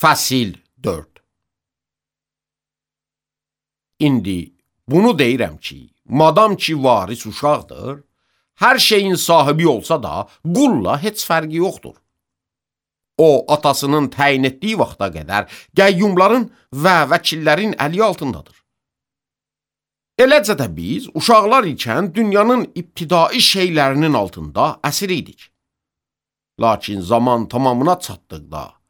Fəsil 4. İndi bunu deyirəm ki, madam ki varis uşaqdır, hər şeyin sahibi olsa da qulla heç fərqi yoxdur. O, atasının təyin etdiyi vaxta qədər qəyyumların və vəkillərin əli altındadır. Eləcə də biz uşaqlar ikən dünyanın ibtidai şeylərinin altında əsir idik. Lakin zaman tamamına çatdıqda,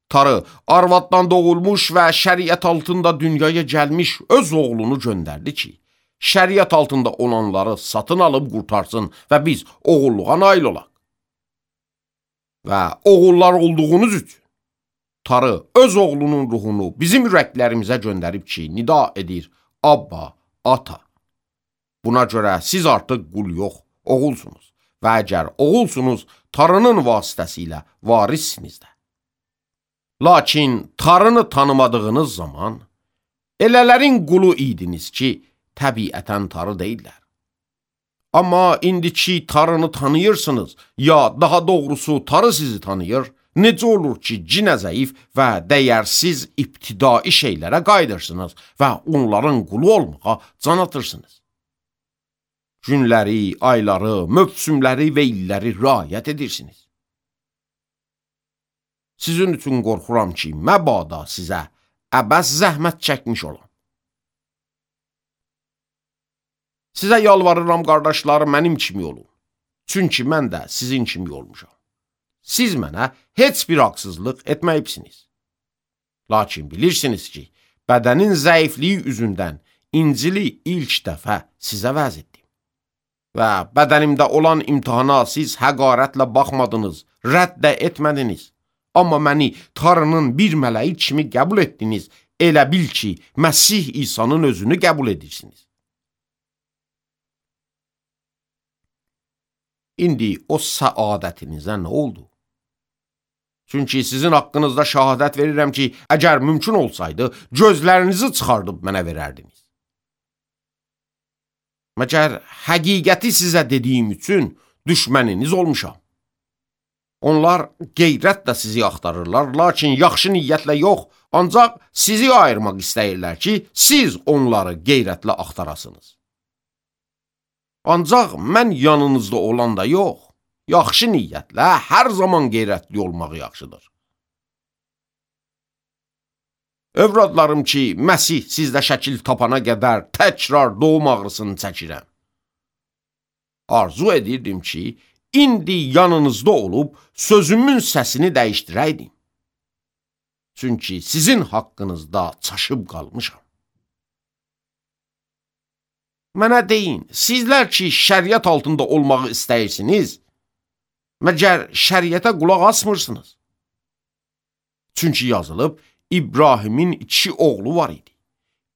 Tarı arvaddan doğulmuş və şəriət altında dünyaya gəlmiş öz oğlunu göndərdi ki, şəriət altında olanları satın alıb qurtarsın və biz oğulluğa nail olaq. Və oğullar olduğunuz üçün Tarı öz oğlunun ruhunu bizim ürəklərimizə göndərib ki, nida edir, Abba, ata. Buna görə siz artıq qul yox, oğulsunuz və əgər oğulsunuz, Tarının vasitəsilə varissiniz də. Lakin Tarını tanımadığınız zaman, elələrin qulu idiniz ki, təbiətən Tarı deyirlər. Amma indiki Tarını tanıyırsınız, ya daha doğrusu Tarı sizi tanıyır, necə olur ki, cinə zəif və dəyərsiz ibtidai şeylərə qayıdırsınız və onların qulu olmağa can atırsınız. Günləri, ayları, mövsümləri və illəri riayət edirsiniz. Sizin üçün qorxuram ki, məbada sizə əbəs zəhmət çəkmiş olam. Sizə yalvarıram, qardaşlar, mənim kimi olun. Çünki mən də sizin kimi olmuşam. Siz mənə heç bir haqsızlıq etməyibsiniz. Lakin bilirsiniz ki, bədənin zəifliyi üzündən İncili ilk dəfə sizə vəz etdim. Və bədənimdə olan imtihana siz həqarətlə baxmadınız, rədd də etmədiniz. Amma məni Tarının bir mələyi kimi qəbul etdiniz, elə bil ki, Məsih İsa'nın özünü qəbul edirsiniz. İndi o səadətinizə nə oldu? Çünki sizin haqqınızda şəhadət verirəm ki, əgər mümkün olsaydı, gözlərinizi çıxardıb mənə verərdiniz. Məgər həqiqəti sizə dediyim üçün düşməniniz olmuşam. Onlar qeyrətlə sizi axtarırlar, lakin yaxşı niyyətlə yox, ancaq sizi ayırmaq istəyirlər ki, siz onları qeyrətlə axtarasınız. Ancaq mən yanınızda olanda yox, yaxşı niyyətlə hər zaman qeyrətli olmaq yaxşıdır. Övradlarım ki, Məsih sizdə şəkil tapana qədər təkrar doğum ağrısını çəkirəm. Arzu edirdim ki, İndi yanınızda olub sözümün səsini dəyişdirəydim. Çünki sizin haqqınızda çaşıb qalmışam. Mənə deyin, sizlər ki, şəriət altında olmağı istəyirsiniz, məgər şəriətə qulaq asmırsınız. Çünki yazılıb, İbrahimin 2 oğlu var idi.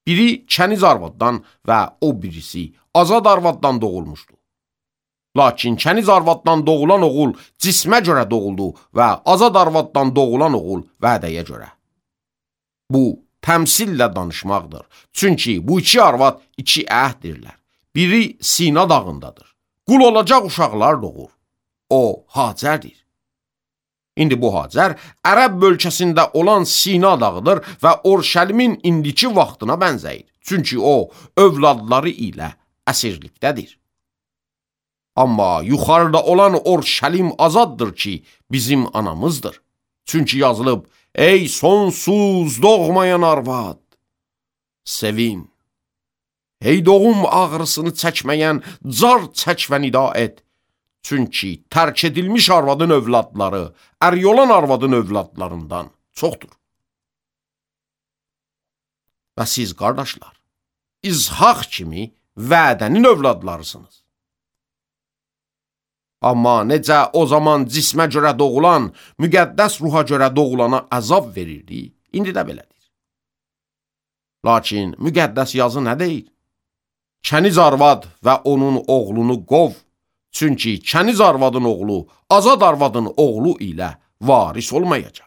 Biri kəniz arvaddan və o birisi azad arvaddan doğulmuşdu. Lakin kəniz arvaddan doğulan oğul cismə görə doğuldu və azad arvaddan doğulan oğul vədəyə görə. Bu, təmsillə danışmaqdır. Çünki bu 2 arvad 2 əhdirlər. Biri Sina dağındadır. Qul olacaq uşaqlar doğur. O, Hacərdir. İndi bu Hacər, Ərəb bölgəsində olan Sina dağıdır və Orşəlimin indiki vaxtına bənzəyir. Çünki o, övladları ilə əsirlikdədir. Amma yuxarıda olan Orşəlim azaddır ki, bizim anamızdır. Çünki yazılıb, ey sonsuz doğmayan arvad, sevin. Ey doğum ağrısını çəkməyən, car çək və nida et. Çünki tərk edilmiş arvadın övladları, əryolan arvadın övladlarından çoxdur. Və siz, qardaşlar, İzhaq kimi vədənin övladlarısınız. Amma necə o zaman cismə görə doğulan, müqəddəs ruha görə doğulana əzab verirdi, indi də belədir. Lakin müqəddəs yazı nə deyir? Kəniz arvad və onun oğlunu qov, çünki kəniz arvadın oğlu, azad arvadın oğlu ilə varis olmayacaq.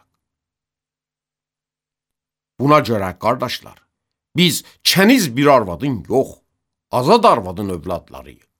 Buna görə, qardaşlar, biz kəniz bir arvadın yox, azad arvadın övladlarıyıq.